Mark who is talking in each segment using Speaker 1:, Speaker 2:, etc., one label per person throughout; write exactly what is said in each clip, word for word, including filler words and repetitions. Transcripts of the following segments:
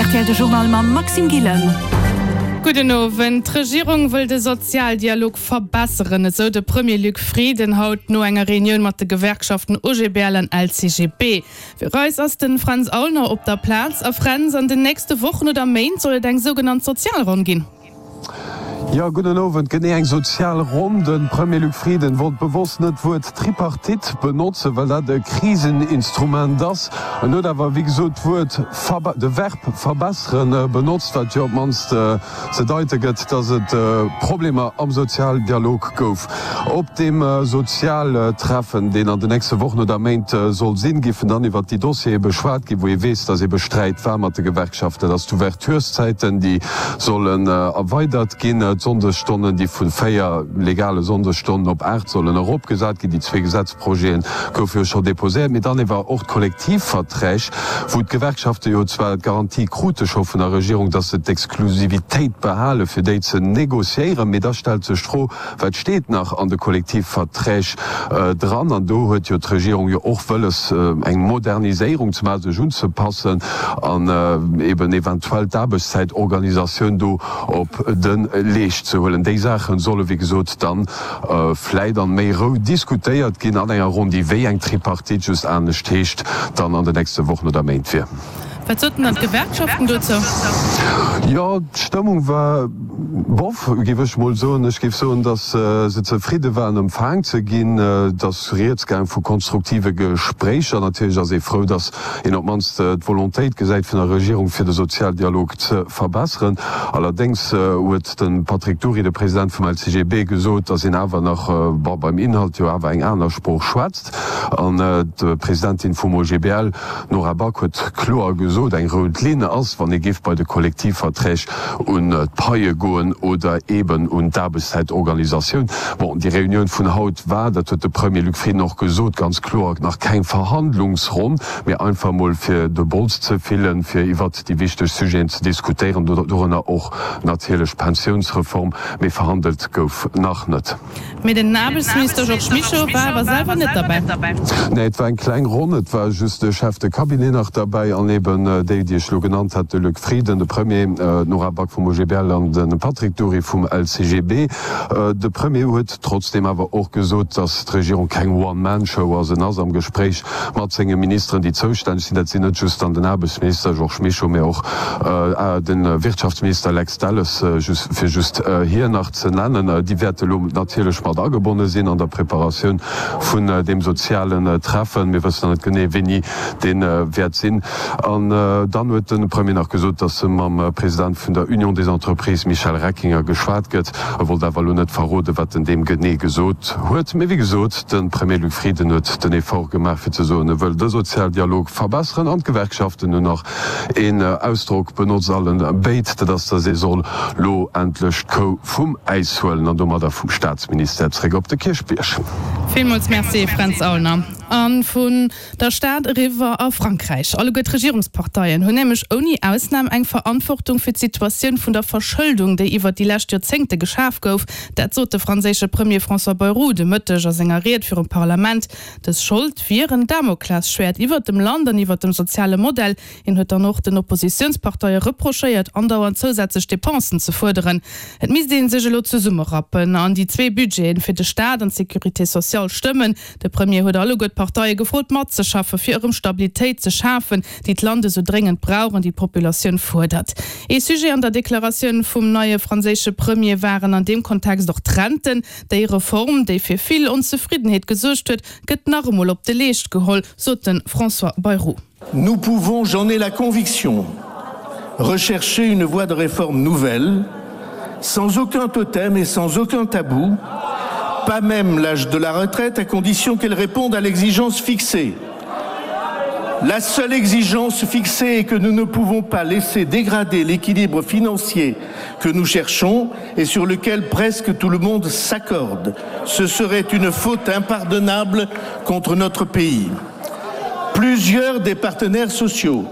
Speaker 1: R T L de Journal mam Maxime Gillen.
Speaker 2: Gudden Owend. D'Regierung wëll de Sozialdialog verbesseren, esou de Premier Luc Frieden haut no enger Reunioun mat de Gewerkschaften O G B L an L C G B. Fir eis ass de Fränz Aulner op der Plaz. A Fränz, an den nächste Wochen oder Méint soll et eng sougenannt Sozialronn ginn.
Speaker 3: Jo, gudden Owend. Genee, eng sozial Ronn. De Premier Luc Frieden wollt bewosst net d'Wuert Tripartite benotzen, well dat e Kriseninstrument ass. En huet awer, wéi gesot, d'Wuert, de Verb verbesseren benotzt, wat jo op d'mannst ze deite gëtt, datt et Problemer am Sozialdialog gouf. Op deem Sozialtreffen, deen an den nächste Wochen oder Méint soll sinn, géifen dann iwwert déi Dossiere beschwat ginn, wou ee weess, datt ebe Sträit war mat de Gewerkschaften. Dat ass d'Ouvertureszäiten, déi sollen erweidert ginn, d'Sonndesstonnen, déi vu véier legale Sonndesstonnen op aacht sollen eropgesat ginn. Déi zwee Gesetzprojete goufe jo scho deposéiert. Mee dann ewer och d'Kollektivverträg, wou d'Gewerkschafte jo zwar d'Garantie krute scho vun der Regierung, datt se d'Exklusivitéit behale fir déi ze négociéieren. Mee da stellt sech d'Fro, Wat steet nach an de Kollektivverträg dran? An do huet jo d'Regierung jo och wëlles, eng Moderniséierung ze maachen, sech unzepassen an eben eventuell d'Aarbechtszäitorganisatioun do op de Leescht ze huelen. Déi Saache solle wéi gesot dann vläit an méi Rou diskutéiert ginn an enger Ronn, déi wéi eng Tripartite, just anescht heescht, dann an den nächste Wochen oder Méint wier.
Speaker 2: Wat soten dann d'Gewerkschaften dozou?
Speaker 3: Jo, d'Stëmmung war bof, géif ech mol soen. Ech géif soen, datt se zefridde waren, empfaang ze ginn. Et ass rieds gaang vu konstruktive Gespréicher. Natierlech ass ee frou, datt een op d'mannst d'Volontéit gesäit vun der Regierung, fir de Sozialdialog ze verbesseren. Allerdéngs huet de Patrick Dury, de President vum L C G B, gesot, datt een awer nach, bon, beim Inhalt jo awer eng aner Sprooch schwätzt. An d'Presidentin vum O G B L, Nora Back, huet kloer gesot, eng rout Linn ass, wann ee géif bei de Kollektivverträg un d'Paie goen oder eeben un d'Aarbechtszäitorganisatioun. Bon, déi Reunioun vun haut war, dat huet de Premier Luc Frieden och gesot, ganz kloer nach keng Verhandlungsronn, mee einfach mol fir de Bols ze fillen, fir iwwert déi wichteg Sujeten ze diskutéieren, dorënner och natierlech d'Pensiounsreform, mee verhandelt gouf nach net.
Speaker 2: Mee den Aarbechtsminister Georges Mischo war awer selwer net derbäi.
Speaker 3: Nee, et war eng kleng Ronn, et war just de Chef de Cabinet nach derbäi an eben déi, déi ech elo genannt hat, de Luc Frieden, de Premier, d'Nora Back vum O G B L an de Patrick Dury vum L C G B. De Premier huet trotzdeem awer och gesot, datt d'Regierung keng One-Man-Show ass. En ass am Gespréich mat senge Ministeren, déi zoustänneg sinn. Dat sinn net just dann den Aarbechtsminister Georges Mischo, mee och de Wirtschaftsminister Lex Delles, fir just hien nach ze nennen. Déi wäerte elo natierlech mat agebonne sinn an der Preparatioun vun deem sozialen Treffen. Mir wëssen nach net genee, wéini dee wäert sinn. An dann huet de Premier nach gesot, datt mam President vun der Union des entreprises Michel Reckinger geschwat gëtt. E wollt awer elo net verroden, wat en deem genee gesot huet. Mee wéi gesot, de Premier Luc Frieden huet den Effort gemaach, fir ze soen, e wëll de Sozialdialog verbesseren. An d'Gewerkschaften hunn nach een Ausdrock benotzt, allen béid, dat ass, datt ee soll lo endlech d'Kou vum Äis huelen an domadder vum Staatsministère zréck op de Kierchbierg.
Speaker 2: Villmools Merci, Fränz Aulner. A vun der Stad eriwwer a Frankräich. Alleguer d'Regierungsparteien hunn nämlech ouni Ausnam eng Verantwortung fir d'Situatioun vun der Verschëldung, déi iwwert déi lescht Joerzéngte geschaf gouf. Dat sot de franséische Premier François Bayrou de Mëtteg a senger Ried virum Parlament. Dës Schold wier en Damoklesschwäert iwwert dem Land an iwwert dem soziale Modell. Hien huet dann och den Oppositiounsparteie reprochéiert, andauernd zousätzlech Depensen ze fuerderen. Et misst ee sech elo zesummerappen an déi zwee Budgeten fir de Staat an d'Sécurité sociale stëmmen. De Premier huet alleguer d'Parteie gefrot, matzeschaffen, fir erëm Stabilitéit ze schafen, déi d'Land esou dréngend brauch an déi d'Populatioun fuerdert. Ee Sujet an der Deklaratioun vum neie franséische Premier waren an deem Kontext och d'Renten. Déi Reform, déi fir vill Onzefriddenheet gesuergt huet, gëtt nach emol op de Leescht geholl, sot de François Bayrou.
Speaker 4: Nous pouvons, j'en ai la conviction, rechercher une voie de réforme nouvelle, sans aucun totem et sans aucun tabou, pas même l'âge de la retraite, à condition qu'elle réponde à l'exigence fixée. La seule exigence fixée est que nous ne pouvons pas laisser dégrader l'équilibre financier que nous cherchons et sur lequel presque tout le monde s'accorde. Ce serait une faute impardonnable contre notre pays. Plusieurs des partenaires sociaux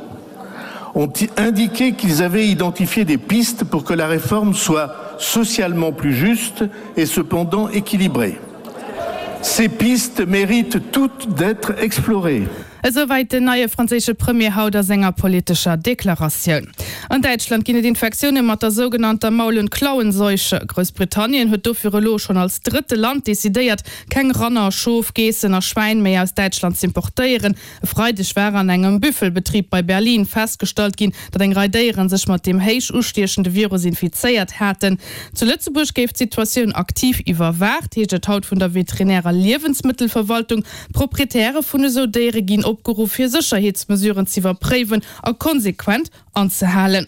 Speaker 4: ont indiqué qu'ils avaient identifié des pistes pour que la réforme soit socialement plus juste et cependant équilibrée. Ces pistes méritent toutes d'être explorées.
Speaker 2: Esouwäit den neie franséische Premier haut a senger politescher Deklaratioun. An Däitschland ginn et Infektioune mat der sougenannter Maul und Klauenseuche. Groussbritannien huet dofir elo schonn als drëtte Land decidéiert, keng Ranner, Schof, Geessen a Schwäin méi aus Däitschland z'importéieren. E Freideg war an engem Büffelbetrib bei Berlin festgestallt ginn, datt eng Rei Déiere sech mat deem héich ustiechende Virus infizéiert haten. Zu Lëtzebuerg géif d'Situatioun aktiv iwwerwaacht, heescht et haut vun der Veterinär a Liewensmëttelverwaltung. Proprietäre vun esou Déiere ginn opgeruff, hir Sécherheetsmesuren z'iwwerpréiwen a konsequent anzehalen.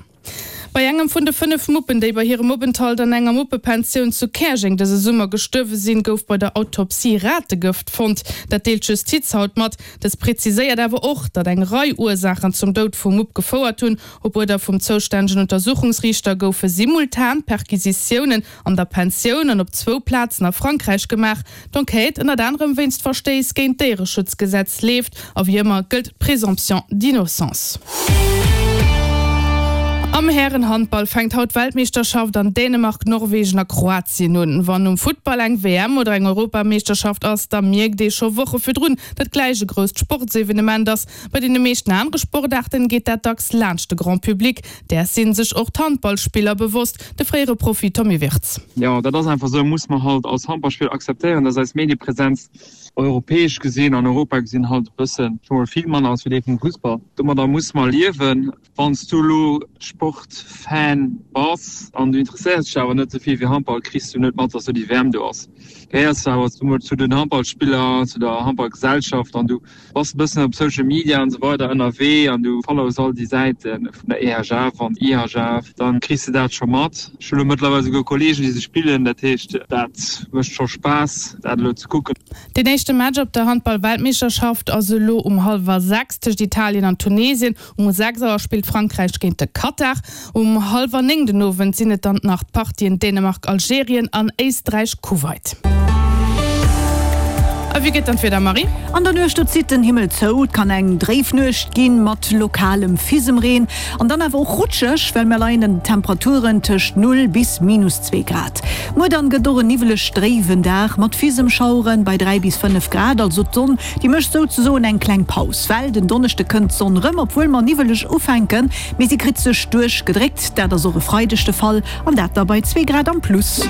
Speaker 2: Bei engem vun de fënnef Muppen, déi bei hirem Openthalt an enger Muppepensioun zu Käerjeng dëse Summer gestuerwe sinn, gouf bei der Autopsie Rategëft fonnt. Dat deelt d'Justiz haut mat. Dës preziséiert awer och, datt eng Rei Ursaachen zum Doud vum Mupp gefouert hunn. Op Uerder vum zoustännegen Untersuchungsriichter goufe simultan Perquisitiounen an der Pensioun an op zwou Plazen a Frankräich gemaach. D'Enquête, ënnert anerem wéinst Verstéiss géint d'Déiereschutzgesetz, leeft a wéi ëmmer gëllt d'Présomption d'innocence. Am Härenhandball fänkt haut d'Weltmeeschterschaft an Dänemark, Norwegen a Kroatien un. Wann um Futtball eng W M oder eng Europameeschterschaft ass, da mierkt ee scho Woche virdrun, datt gläich e grousst Sportsevenement ass. Bei deene meeschten anere Sportaarten geet dat dacks laanscht de Grand Public. Däers si sech och d'Handballspiller bewosst. De fréiere Profi Tommy Wirtz.
Speaker 5: Jo, dat ass einfach esou, muss mer halt als Handballspiller akzeptéieren, dass eis Mediepresenz europäesch gesinn, an Europa gesinn, halt e bëssen, scho mol vill manner ass wéi déi vum Fussball. Domadder muss mer liewen. Wann s du elo Sportfan bass an du interesséiers dech awer net esou vill fir Handball, kriss du net mat, dass do déi W M do ass. Gehéiers du awer emol zu den Handballspiller, zu der Handballgesellschaft an du bass e bëssen op Social Media an esou weider ënnerwee an du follows all déi Säite vun der E H F an I H F, dann kriss de dat scho mat. Ech hu lo mëttlerweil esouguer Kollegen, déi se spillen, dat heescht, dat mécht scho Spaass, dat elo ze kucken.
Speaker 2: Deen éischte Match op der Handball-Weltmeeschterschaft ass elo um hallwer sechs tëscht Italien an Tunesien. Um sechs Auer spillt Frankräich géint de Katar. Um hallwer néng den Owend sinn et dann nach d'Partien Dänemark-Algerien an Éisträich-Kuwait. A wéi gëtt dann d'Wieder, Marie?
Speaker 1: An der Nuecht, do zitt den Himmel zou, et kann eng dréif Nuecht ginn mat lokalem Fisemreen an dann awer och rutscheg, well mir leien an den Temperaturen tëscht null bis minus zwee Grad. Muer dann gëtt och en niwweleg dréiwen Dag mat Fisemschaueren bei dräi bis fënnef Grad. Also d'Sonn, déi mécht souzesoen eng kleng Paus, well den Donneschde kënnt d'Sonn rëm, obwuel mer niwweleg ufänken, mee si kritt sech duerchgedréckt. Dat ass och e Freideg de Fall an dat da bei zwee Grad am Plus.